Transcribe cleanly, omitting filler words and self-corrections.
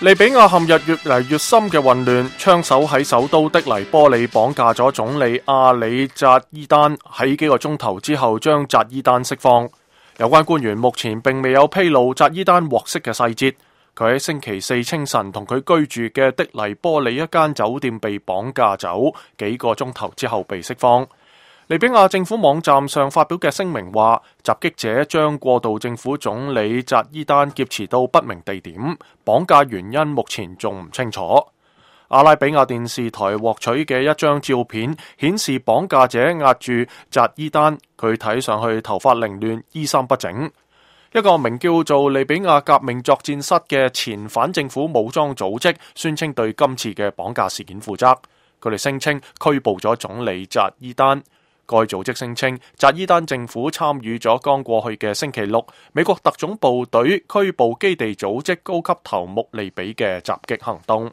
利比亞陷入越嚟越深嘅混亂，槍手喺首都的黎波里綁架咗總理阿里扎伊丹，喺幾個鐘頭之後將扎伊丹釋放。有關官員目前並未有披露扎伊丹獲釋嘅細節。佢喺星期四清晨同佢居住嘅的黎波里一間酒店被綁架走，幾個鐘頭之後被釋放。利比亞政府網站上發表嘅聲明話，襲擊者將過渡政府總理扎伊丹劫持到不明地點，綁架原因目前仲唔清楚。阿拉比亞電視台獲取嘅一張照片顯示，綁架者壓住扎伊丹，佢睇上去頭髮凌亂，衣衫不整。一個名叫做利比亞革命作戰室嘅前反政府武裝組織宣稱對今次嘅綁架事件負責，佢哋聲稱拘捕咗總理扎伊丹。該組織聲稱，扎伊丹政府參與咗剛過去嘅星期六美國特種部隊拘捕基地組織高級頭目利比嘅襲擊行動。